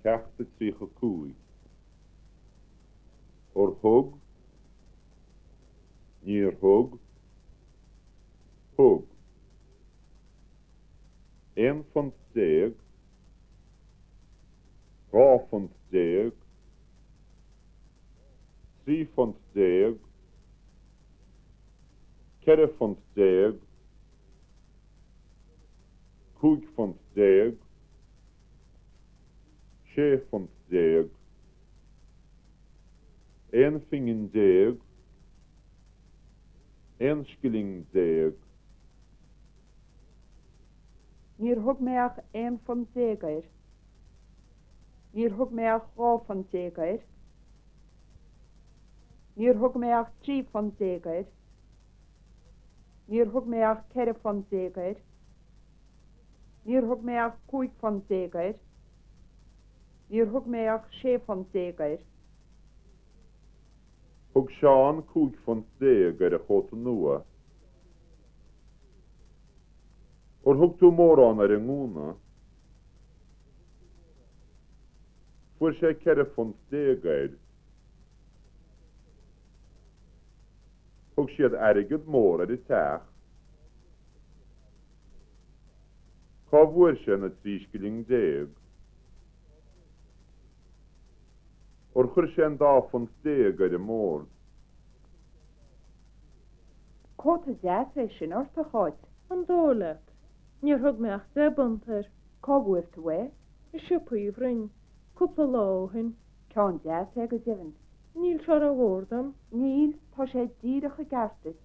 Ceacht a 35. Ar thug? Níor thug? Thug. £11. £12. £13. £14. £15. £16. 11 phingin. 11 scilling. Níor thug mé ach £11 air. Níor thug mé ach £12 air. Níor thug mé ach £13 air. Níor thug mé ach £14 air. Níor thug mé ach £15 air. Níor thug mé ach £16 air. Thug Seán £15 ar a chóta nua. Ar thug tú mórán ar an ngúna? Fuair sé £14 air. Thug siad airgead mór ar an teach. Cá bhfuair sé na 13 scilling? Ar chuir sé an dá phunt déag ar an mbord? Cóta deas é sin ort, a Cháit. An dóigh leat? Níor thug mé ach £10 air. Cá bhfuair tú é? I siopa Uí Bhroin, cúpla lá ó shin. Ceann deas é go deimhin. Níl sé rómhór dom. Níl, tá sé díreach i gceart duit.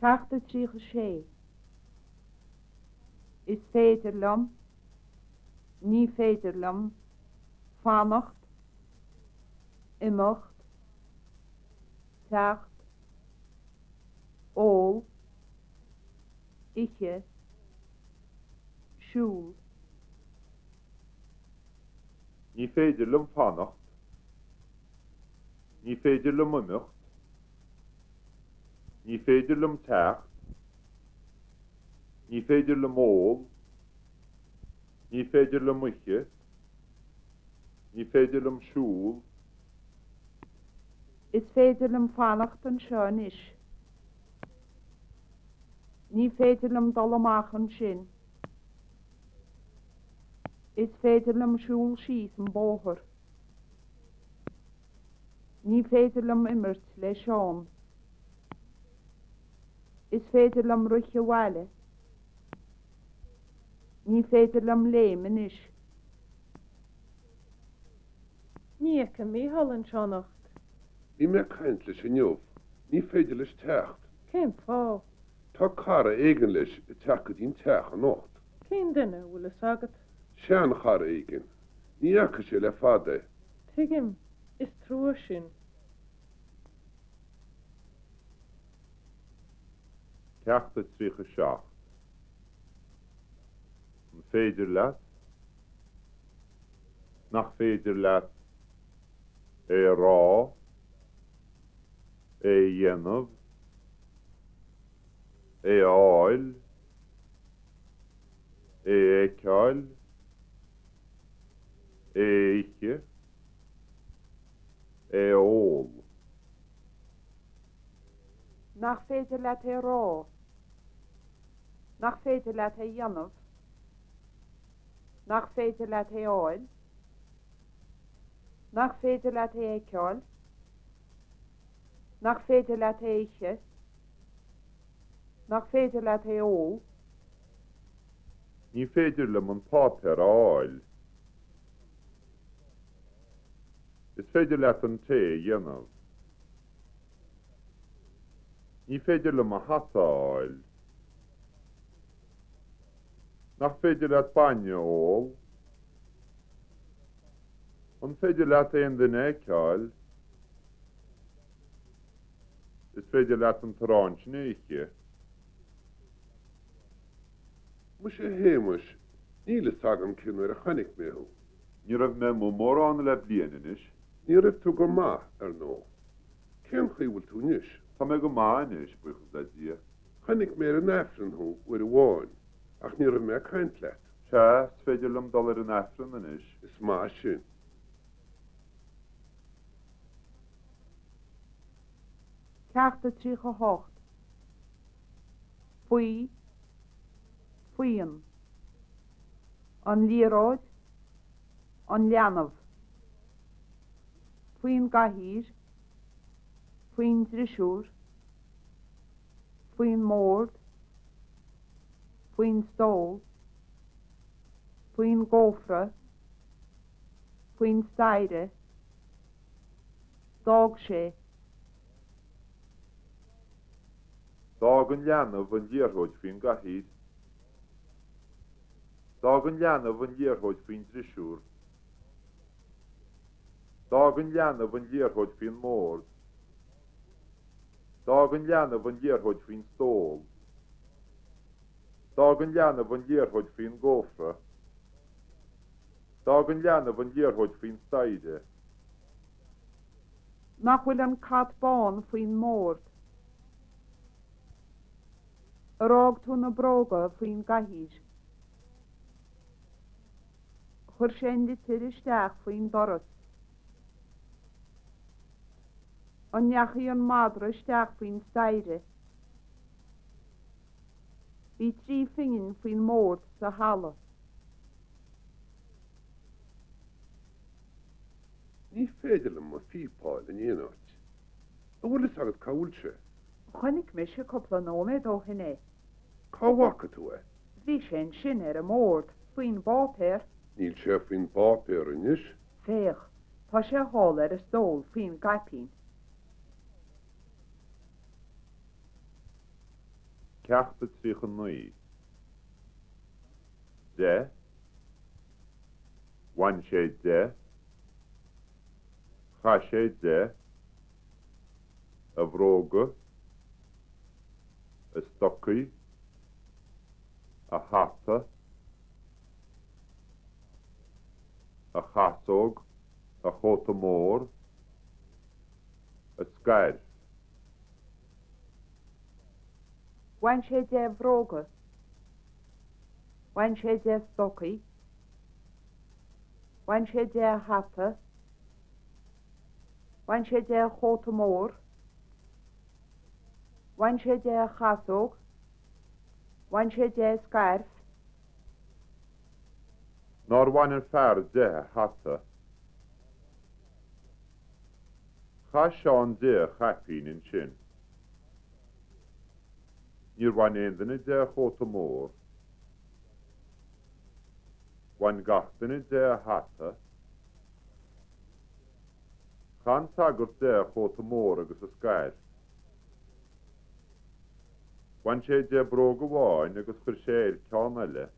Ceacht a 36. Is féidir liom. Ní féidir liom. Fanacht. Imeacht. Teacht. Ól. Ithe. Siúl. Ní féidir liom fanacht. Ní féidir liom imeacht. Ní féidir liom teacht. Ní féidir liom ól. Ní féidir liom ithe. Ní féidir liom siúl. Is féidir liom fanacht anseo anois. Ní féidir liom dul amach ansin. Is féidir liom siúl síos an bóthar. Ní féidir liom imirt le Seán. Is féidir liom rith abhaile. Ní féidir liom léim anois. Ní fheicim Mícheál anseo anocht. Bhí mé ag caint leis inniu. Ní féidir leis teacht. Cén fáth? Tá cara éigin leis ag teacht go dtí an teach anocht. Cén duine, an bhfuil fhios agat? Seanchara éigin. Ní fhaca sé le fada é. Tuigim. Is trua sin. Ceacht a 37. An féidir leat? Nach féidir leat? É a rá? É a dhéanamh? É a fháil? É a fheiceáil? É a ithe? É a ól? Nach féidir leat é a rá? Nach féidir leat é a dhéanamh? Nach féidir leat é a fháil? Nach féidir leat é a fheiceáil? Nach féidir leat é a ithe? Nach féidir leat é a ól? Ní féidir liom an páipéar a fháil. Is féidir leat an tae a dhéanamh. Ní féidir liom mo hata a fháil. Nach féidir leat bainne a ól? An féidir leat aon duine a fheiceáil? Is féidir leat an t-arán sin a ithe. Muise a Shéamais, níl fhios agam cén uair a chonaic mé thú. Ní raibh mé amuigh mórán le bliain anois. Ní raibh tú go maith, ar ndóigh. Cén chaoi a bhfuil tú anois? Tá mé go maith anois, buíochas le Dia. Chonaic mé ar an Aifreann thú uair amháin. Ach ní raibh mé ag caint leat. Sea, is féidir liom dul ar an Aifreann anois. Is maith sin. Ceacht a 38. Faoi, faoin. An liathróid, an leanbh. Faoin gcathaoir, faoin drisiúr, faoin mbord, faoin stól, faoin gcófra, faoin staighre, d'fhág sé. D'fhág an leanbh an liathróid faoin gcathaoir. D'fhág an leanbh an liathróid faoin drisiúr. D'fhág an leanbh an liathróid faoin mbord. D'fhág an leanbh an liathróid faoin stól. D'fhág an leanbh an liathróid faoin gcófra. D'fhág an leanbh an liathróid faoin staighre. Nach bhfuil an cat bán faoin mbord? Ar fhág tú na bróga faoin gcathaoir? Chuir sé an litir isteach faoin doras. An ndeachaigh an madra isteach faoin staighre? Bhí trí phingin faoin mbord sa halla. Ní féidir liom mo phíopa a fháil in aon áit. An bhfuil fhios agat cá bhfuil sé? Chonaic mise cúpla nóiméad ó shin é. Cá bhfaca tú é? Bhí sé ansin ar an mbord, faoin bpáipéar. Níl sé faoin bpáipéar anois. Féach, tá sé thall ar an stól faoin gcaipín. Ceacht a 39. De. Bhain sé de. Chaith sé de. A bhróga. A stocaí. A hata. A chasóg. A chóta mór. A scairf. Bhain sé de a bhróga. Bhain sé de a stocaí. Bhain sé de a hata. Bhain sé de a chóta mór. Bhain sé de a chasóg. Bhain sé de a scairf. Nár bhain an fear de a hata? Chaith Seán de a chaipín ansin. Níor bhain aon duine de a chóta mór. Bhain gach duine de a hata. Chaith an sagart de a chóta mór agus a scairf. Bhain sé de bróg amháin agus chuir sé air ceann eile.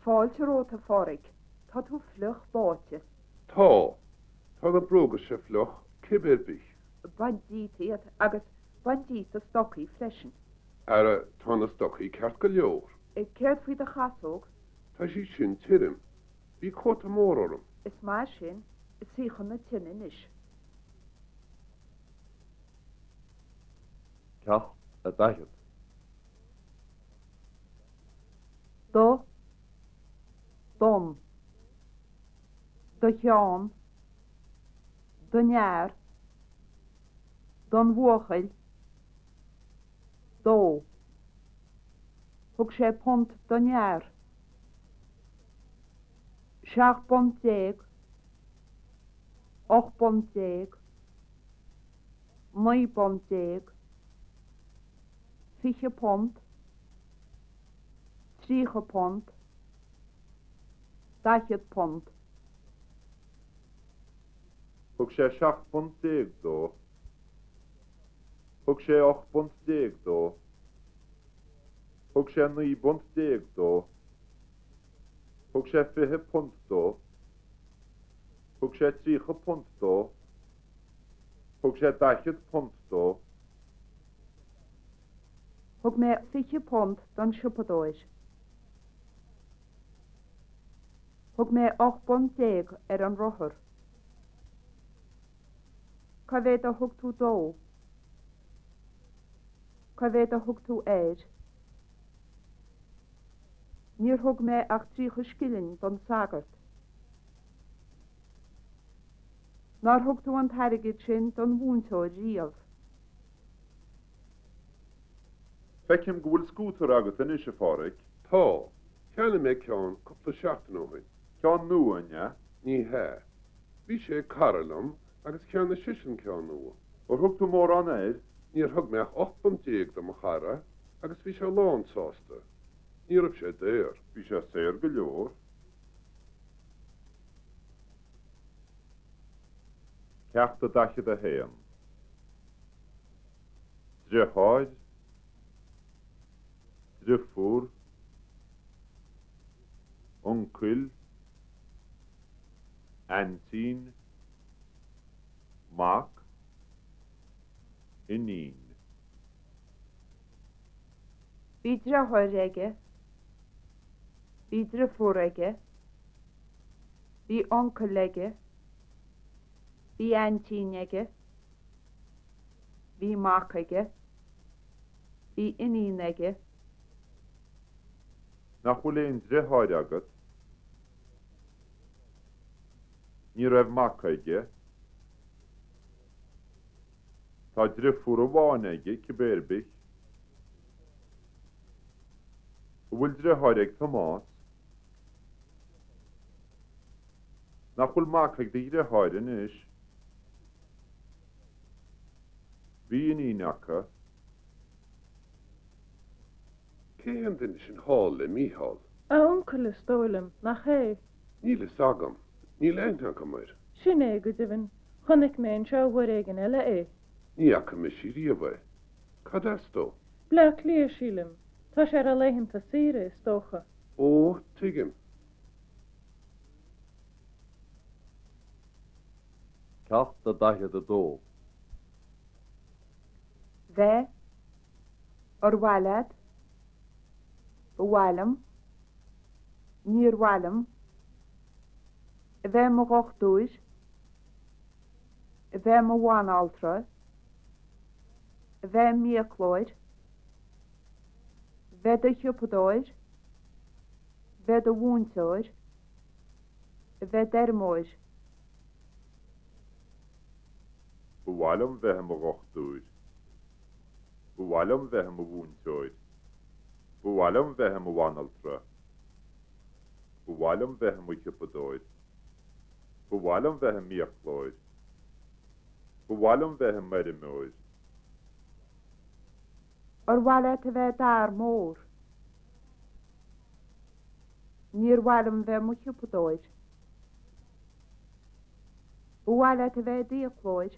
Fáilte romhat, a Phádraig. Tá tú fliuch báite. Tá. Tá na bróga seo fliuch, cibé ar bith. Bain díot iad agus bain díot do stocaí freisin. Ara, tá na stocaí ceart go leor. Céard faoi do chasóg? Tá sí sin tirim. Bhí cóta mór orm. Is maith sin. Suigh chun na tine anois. Ceacht a 40. Do, don, do Sheán, don fhear, don bhuachaill, dó. Thug sé punt don fhear. 17 bpunt, 18 bpunt, 19 bpunt, £20, £30, £40. Thug sé 17 bpunt dó. Thug sé 18 bpunt dó. Thug sé 19 bpunt dó. Thug sé £20 dó. Thug sé £30 dó. Thug sé £40 dó. Thug mé £20 don siopadóir. Thug mé 18 bpunt ar an rothar. Cá mhéad a thug tú dó? Cá mhéad a thug tú air? Níor thug mé ach 30 scilling don sagart. Nár thug tú an t-airgead sin don mhúinteoir riamh? Feicim go bhfuil scútar agat anois, a Pháraic. Tá. Cheannaigh mé ceann cúpla seachtain ó shin. Ceann nua, an ea? Ní hea. Bhí sé ag cara liom agus cheannaigh seisean ceann nua. Ar thug tú mórán air? Níor thug mé ach 18 bpunt do mo chara agus bhí sé lán sásta. Ní raibh sé daor. Bhí sé saor go leor. Ceacht a 41. Driotháir, driofúr, uncail, aintín, mac, iníon. Bhí driotháir aige. Bhí driofúr aige. Bhí uncail aige. Bhí aintín aige. Bhí mac aige. Bhí iníon aige. Nach bhfuil aon driotháir agat? Ní raibh mac aige. Tá driofúr amháin aige, cibé ar bith. An bhfuil driotháir ag Tomás? Nach bhfuil mac ag do dhriotháir anois? Bhí iníon acu. Cé hé an duine sin thall le Mícheál? A uncail, is dóigh liom, nach é? Níl fhios agam. Níl aithne agam air. Sin é, go deimhin. Chonaic mé anseo uair éigin eile é. Ní fhaca mise riamh é. Cad as dó? Bleá Cliath, sílim. Tá sé ar a laethanta saoire, is dócha. Ó, tuigim. Ceacht a 42. Bheith. Ar mhaith leat? Ba mhaith liom. Níor mhaith liom. A bheith i mo dhochtúir. A bheith i mo bhanaltra. A bheith i m'fhiaclóir. Bheith i do shiopadóir. Bheith i do mhúinteoir. A bheith i d'fheirmeoir. Ba mhaith liom bheith i mo dhochtúir. Ba mhaith liom bheith i mo mhúinteoir. Ba mhaith liom bheith i mo bhanaltra. Ba mhaith liom bheith i mo shiopadóir. Ba mhaith liom bheith i m'fhiaclóir. Ba mhaith liom bheith i m'fheirmeoir. Ar mhaith leat a bheith i d'fhear mór? Níor mhaith liom bheith i mo shiopadóir. Ba mhaith leat a bheith i d'fhiaclóir?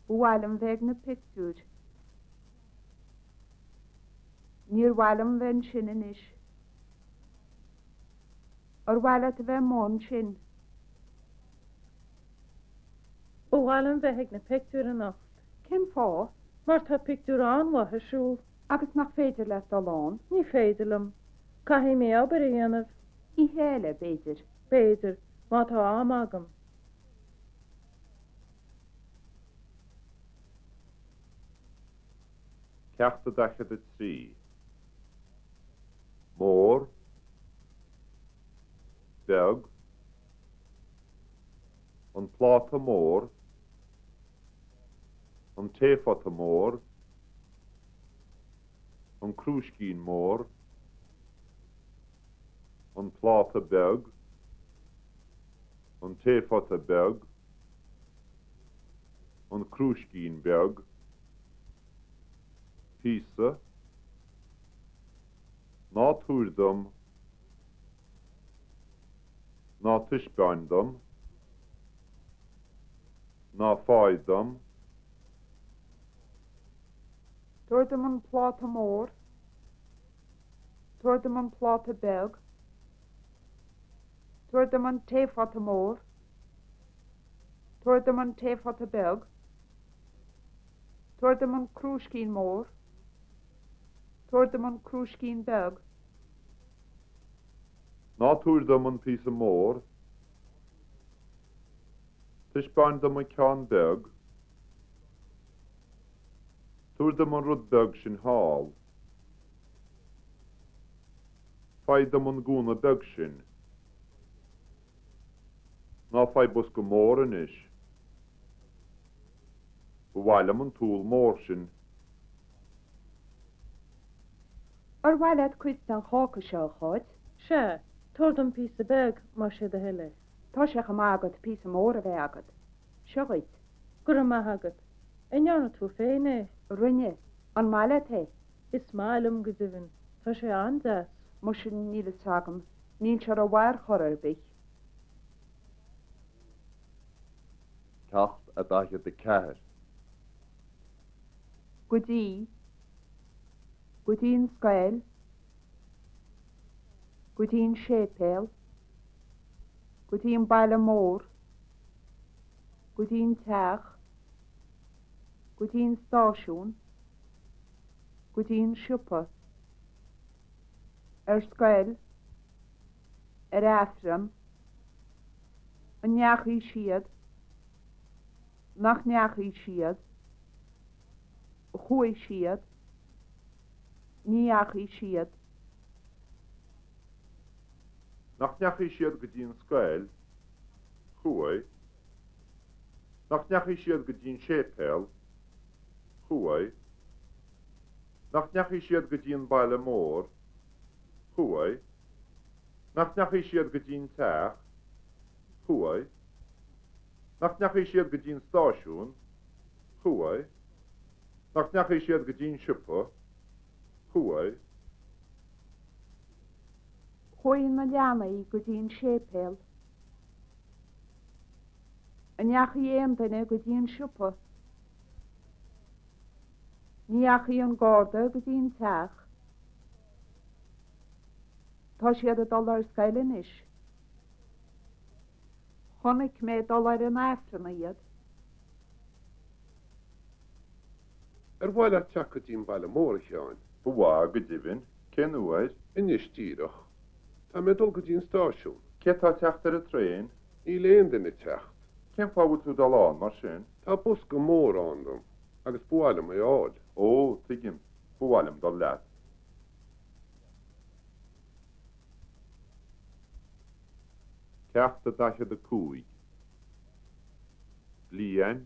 Ba mhaith liom bheith ag na pictiúir. Níor mhaith liom bheith ansin anois. Ar mhaith leat a bheith amuigh ansin? Ba mhaith liom bheith ag na pictiúir anocht. Cén fáth? Mar tá pictiúr an-mhaith ar siúl. Agus nach féidir leat dul ann? Ní féidir liom. Caithfidh mé obair a dhéanamh. Oíche eile, b'fhéidir. B'fhéidir, má tá am agam. Ceacht a 43. Mór, Beag, An pláta mór, An taephota mór, An crúiscín mór, An pláta beag, An taephota beag, An crúiscín beag, Píosa, Ná tabhair dom, Ná taispeáin dom, Ná faigh dom. Tabhair dom an pláta mór. Tabhair dom an pláta beag. Tabhair dom an taephota mór. Tabhair dom an taephota beag. Tabhair dom an crúiscín mór. Tabhair dom an crúiscín beag. Ná tabhair dom an píosa mór. Taispeáin dom an ceann beag. Tabhair dom an rud beag sin thall. Faigh dom an gúna beag sin. Ná faigh bosca mór anois. Ba mhaith liom an t-úll mór sin. Ar mhaith leat cuid den cháca seo, a Cháit? Sea, tabhair dom píosa beag, más é do thoil é. Tá sé chomh maith agat píosa mór a bheith agat. Seo dhuit. Go raibh maith agat. An ndearna tú féin é? Rinne. An maith leat é? Is maith liom, go deimhin. Tá sé an-deas. Muise, níl fhios agam. Níl sé rómhaith ar chor ar bith. Ceacht a 44. Go dtí. Go dtí an scoil. Go dtí an séipéal. Go dtí an baile mór. Go dtí an teach. Go dtí an stáisiún. Go dtí an siopa. Ar scoil. Ar Aifreann. An ndeachaigh siad? Nach ndeachaigh siad? Chuaigh siad. Ní dheachaigh siad. Nach ndeachaigh siad go dtí an scoil? Chuaigh. Nach ndeachaigh siad go dtí an séipéal? Chuaigh. Nach ndeachaigh siad go dtí an baile mór? Chuaigh. Nach ndeachaigh siad go dtí an teach? Chuaigh. Nach ndeachaigh siad go dtí an stáisiún? Chuaigh. Nach ndeachaigh siad go dtí an siopa? Chuaigh. Chuaigh na leanaí go dtí an séipéal. An ndeachaigh aon duine go dtí an siopa? Ní dheachaigh an garda go dtí an teach. Tá siad ag dul ar scoil anois. Chonaic mé ag dul ar an Aifreann iad. Ar mhaith leat teacht go dtí an baile mór, a Sheáin? Ba mhaith, go deimhin. Cén uair? Anois díreach. Tá mé ag dul go dtí an stáisiún. Cé tá ag teacht ar an traein? Níl aon duine ag teacht. Cén fáth a bhfuil tú ag dul ann, mar sin? Tá bosca mór ann dom agus ba mhaith liom é a fháil. Ó, tuigim. Ba mhaith liom dul leat. Ceacht a 45. Bliain,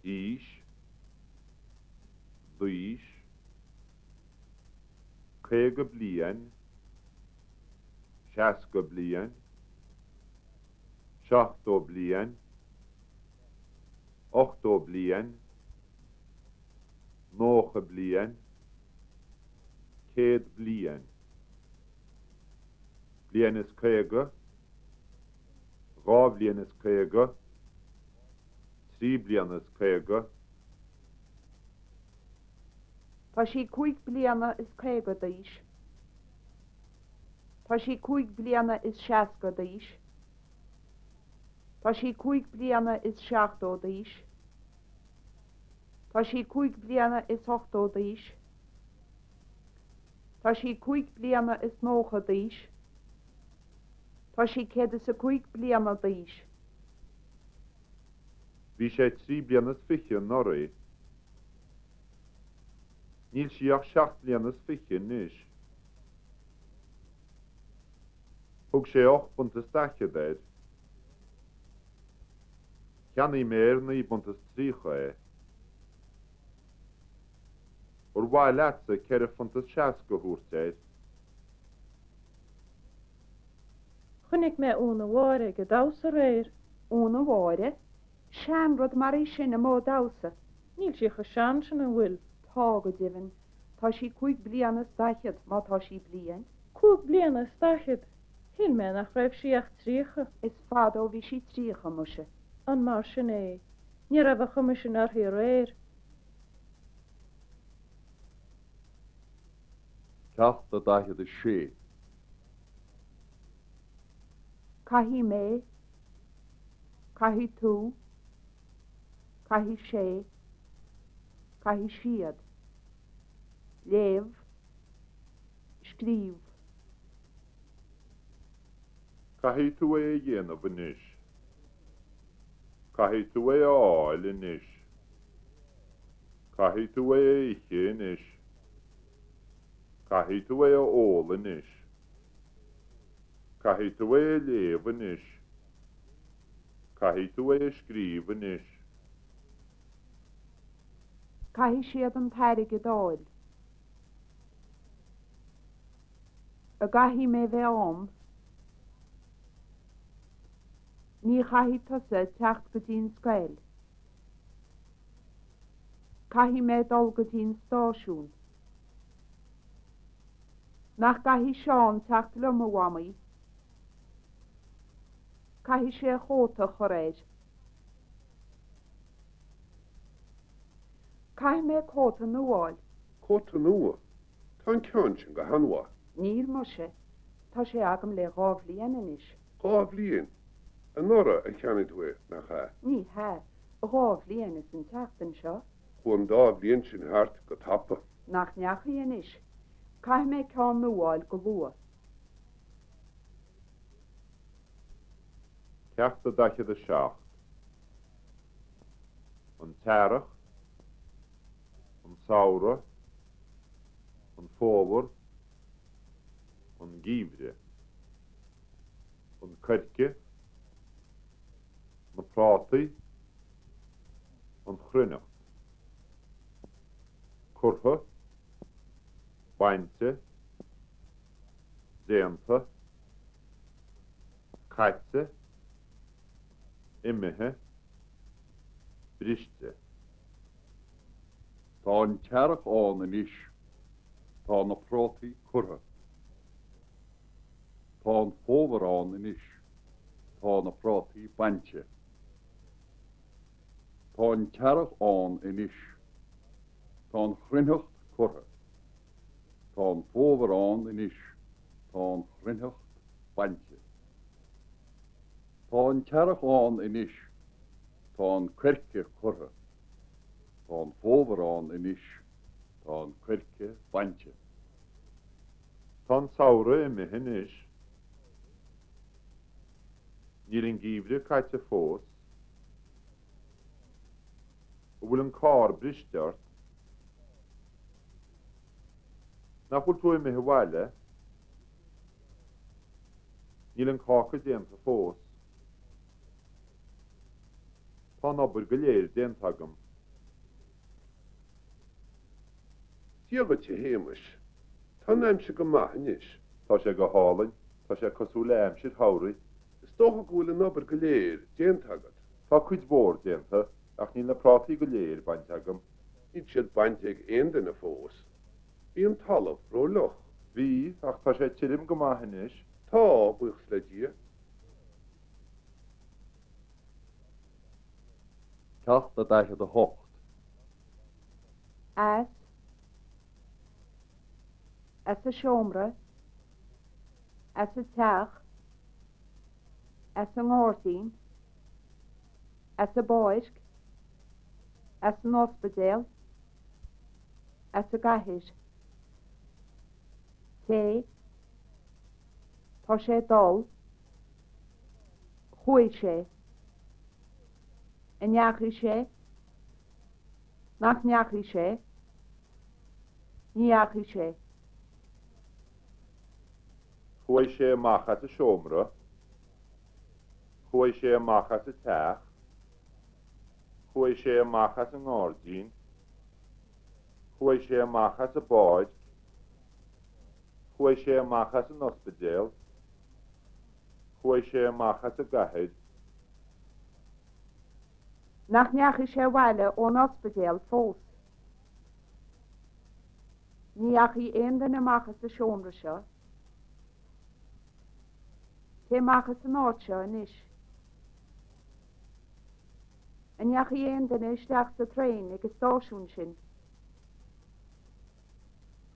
aois, d'aois, 50 bliain, 60 bliain, 70 bliain, 80 bliain, 90 bliain, 100 bliain. Bliain is 50, 2 bhliain is 50, 3 bliana is 50. Tá sí cúig bliana is 50 d'aois. Tá sí cúig bliana is 60 d'aois. Tá sí cúig bliana is 70 d'aois. Tá sí cúig bliana is 80 d'aois. Tá sí cúig bliana is 90 d'aois. Tá sí 105 bliana d'aois. Bhí sé trí bliana is fiche anuraidh. Níl sí ach seacht mbliana is fiche anois. Thug sé ocht bpunt is daichead air. Cheannaigh mé ar naoi bpunt is tríocha é. Ar mhaith leatsa ceithre phunt is seasca a thabhairt air? Chonaic mé Úna Mháire ag damhsa aréir. Úna Mháire? Seanrud mar í sin amuigh ag damhsa. Níl sí chomh sean sin, an bhfuil? Tá, go deimhin. Tá sí cúig bliana is daichead, má tá sí bliain. Cúig bliana is daichead? Shíl mé nach raibh sí ach tríocha. Is fada ó bhí sí tríocha, muise. An mar sin é? Ní raibh an chuma sin uirthi aréir. Ceacht a 46. Caithfidh mé, caithfidh tú, caithfidh sé, caithfidh siad. Léamh, scríobh. Caithfidh tú é a dhéanamh anois. Caithfidh tú é a fháil anois. Caithfidh tú é a ithe anois. Caithfidh tú é a ól anois. Caithfidh tú é a léamh anois. Caithfidh tú é a scríobh anois. Caithfidh siad an t-airgead a fháil. An gcaithfidh mé bheith ann? Ní chaithfidh tusa teacht go dtí an scoil. Caithfidh mé dul go dtí an stáisiún. Nach gcaithfidh Seán teacht liom, a Mhamaí? Caithfidh sé a chóta a chur air. Caithfidh mé cóta nua a fháil. Cóta nua? Tá an ceann sin go han-mhaith. Níl muise. Tá sé agam le dhá bhliain anois. Dhá bhliain? Anuraidh a cheannaigh tú é, nach ea? Ní hea. Dhá bhliain is an tseachtain seo. Chuaigh an dá bhliain sin thart go tapa. Nach ndeachaigh anois. Caithfidh mé ceann nua a fháil go luath. Ceacht a 47. An tEarrach, an Samhradh, an Fómhar, an Geimhreadh, an Coirce, na Prátaí, an Chruithneacht. Curtha, bainte, déanta, caite, imithe, briste. Tá an t-earrach ann anois. Tá na prátaí curtha. Tá an fómhar ann anois. Tá na prátaí bainte. Tá an t-earrach ann anois. Tá an chruithneacht curtha. Tá an fómhar ann anois. Tá an chruithneacht bainte. Tá an t-earrach ann anois. Tá an coirce curtha. Tá an fómhar ann anois. Tá an coirce bainte. Tá an samhradh imithe anois. Níl an geimhreadh caite fós. An bhfuil an carr briste ort? Nach bhfuil tú imithe abhaile? Níl an cáca déanta fós. Tá an obair go léir déanta agam. Dia dhuit, a Shéamais. Tá an aimsir go maith anois. Tá sé go hálainn. Tá sé cosúil le aimsir shamhraidh. Is dócha go bhfuil an obair go léir déanta agat. Tá cuid mhór déanta, ach níl na prátaí go léir bainte agam. Níl siad bainte ag aon duine fós. Bhí an talamh ró-fhliuch. Bhí, ach tá sé tirim go maith anois. Tá, buíochas le Dia. Ceacht a 48. As. As an seomra. As an teach. As an ngairdín. As an bpáirc. As an ospidéal. As an gcathair. Téigh. Tá sé ag dul. Chuaigh sé. An ndeachaigh sé? Nach ndeachaigh sé? Ní dheachaigh sé. Chuaigh sé amach as an seomra. Chuaigh sé amach as an teach. Chuaigh sé amach as an ngairdín. Chuaigh sé amach as an bpáirc. Chuaigh sé amach as an ospidéal. Chuaigh sé amach as an gcathair. Nach ndeachaigh sé abhaile ón ospidéal fós? Ní dheachaigh aon duine amach as an seomra seo. Téigh amach as an áit seo anois. An ndeachaigh aon duine isteach sa traein ag an stáisiún sin?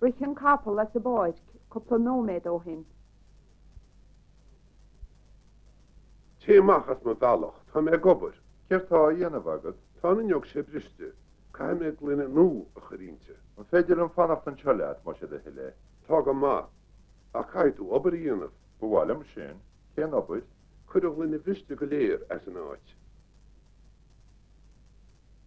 Rith an capall as an bpáirc cúpla nóiméad ó shin. Téigh amach as mo bhealach, tá mé ag obair. Céard tá á dhéanamh agat? Tá an fhuinneog seo briste. Caithfidh mé gloine nua a chur inti. An féidir liom fanacht anseo leat, más é do thoil é? Tá go maith. Ach caithfidh tú obair a dhéanamh. Ba mhaith liom sin. Cén obair? Cuir an ghloine bhriste go léir as an áit.